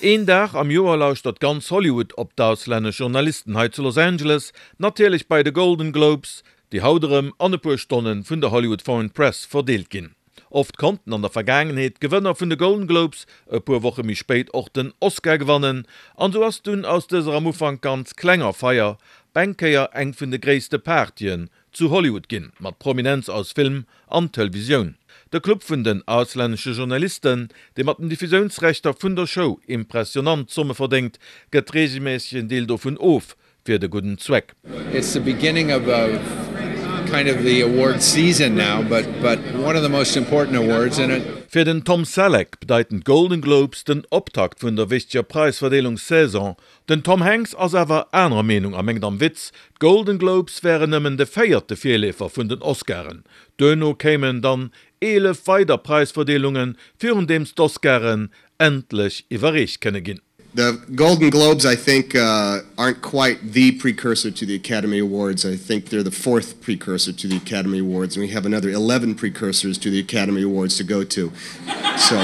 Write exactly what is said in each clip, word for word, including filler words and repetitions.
Een Dag am Joer lauschtert ganz Hollywood op d'auslännesch Journalisten hei zu Los Angeles, natierlech bei de Golden Globes, déi haut erëm an e puer Stonne vun der Hollywood Foreign Press verdeelt ginn. Oft konnten an der Vergaangenheet d'Gewënner vun de Golden Globes e puer Woche méi spéit och den Oscar gewannen, an sou ass dunn aus dëser am Ufank ganz klenger Feier op eng Kéier eng vun de gréisste Partyen zu Hollywood ginn, mat Prominenz aus Film an Televisioun. De Club vun den auslännesche Journalisten, dee mat den Diffusiounsrechter vun der Show impressionant Zomme verdéngt, gëtt reegelméisseg en Deel dovun of fir de gudden Zweck. It's the beginning of a kind of the award season now, but but one of the most important awards and it. Fir den Tom Selleck bedeiten d'Golden Globes den Optakt vun der wichteger Präisverdeelungssaison. Den Tom Hanks ass awer anerer Meenung a mengt am Witz, d'Golden Globes wären nëmmen de véierte Virleefer vun den Oscaren. Duerno kéimen dann eelef weider Präisverdeelungen, virun deems d'Oscaren endlech iwwerreecht kënne ginn. The Golden Globes, I think, aren't quite the precursor to the Academy Awards. I think they're the fourth precursor to the Academy Awards, and we have another eleven precursors to the Academy Awards to go to. So.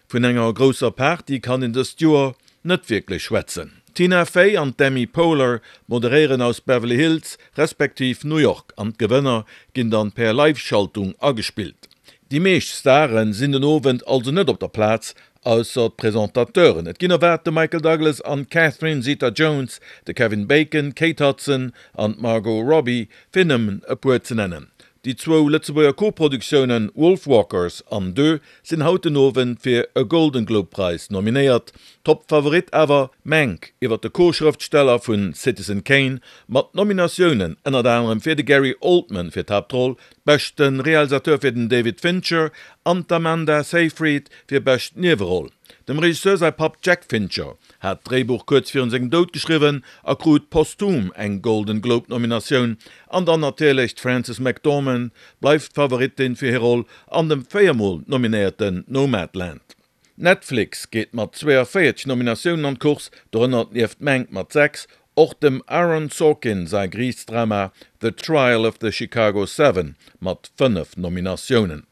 Vun enger grousser Party kann een dëst Joer net wierklech schwätzen. D'Tina Fey an d'Amy Poehler moderéieren aus Beverly Hills respektiv New York an d'Gewënner ginn dann per Live-Schaltung agespillt. Déi meescht Stare sinn den Owend also net op der Plaz, ausser d'Presentateuren. Et ginn erwaart de Michael Douglas an d'Catherine Zeta-Jones, de Kevin Bacon, d'Kate Hudson an d'Margot Robbie, fir nëmmen e puer ze nennen. Déi zwou Lëtzebuerger Koproduktiounen Wolfwalkers an Deux sinn haut den Owend fir e Golden Globe Präis nominéiert. Top Favorit awer Mank iwwer de Co-Schrëftsteller vu Citizen Kane, mat Nominatiounen ënnert anerem fir de Gary Oldman fir d'Haaptroll, beschte Realisateur fir den David Fincher an d'Amanda Seyfried fir bescht Nieweroll. Dem Regisseur säi Papp Jack Fincher hat d'Dréibuch kuerz virun sengem Doud geschriwwen a krut posthum eng Golden Globe Nominatioun. An dann natierlech d'Frances McDormand bleift d'Favoritin fir hir Roll an dem véier Mol nominéierten Nomadland. Netflix geet mat zweeënvéierzeg Nominatiounen an d'Course, dorënner nieft Mank mat sechs och dem Aaron Sorkin säi Geriichtsdrama The Trial of the Chicago Seven mat fënnef Nominatiounen.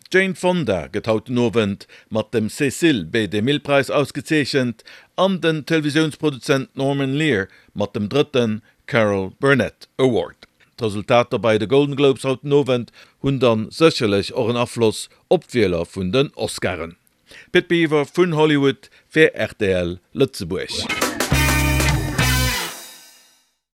D'Jane Fonda gëtt haut den Owend mat dem Cecil B. DeMille-Präis ausgezeechent an den Televisiounsproduzent Norman Lear mat dem drëtte Carol Burnett Award. D'Resultater bei de Golden Globes haut den Owend hunn dann sécherlech och en Afloss op d'Wieler vun den Oscaren. Pit Biwer vun Hollywood fir rtl Lëtzebuerg.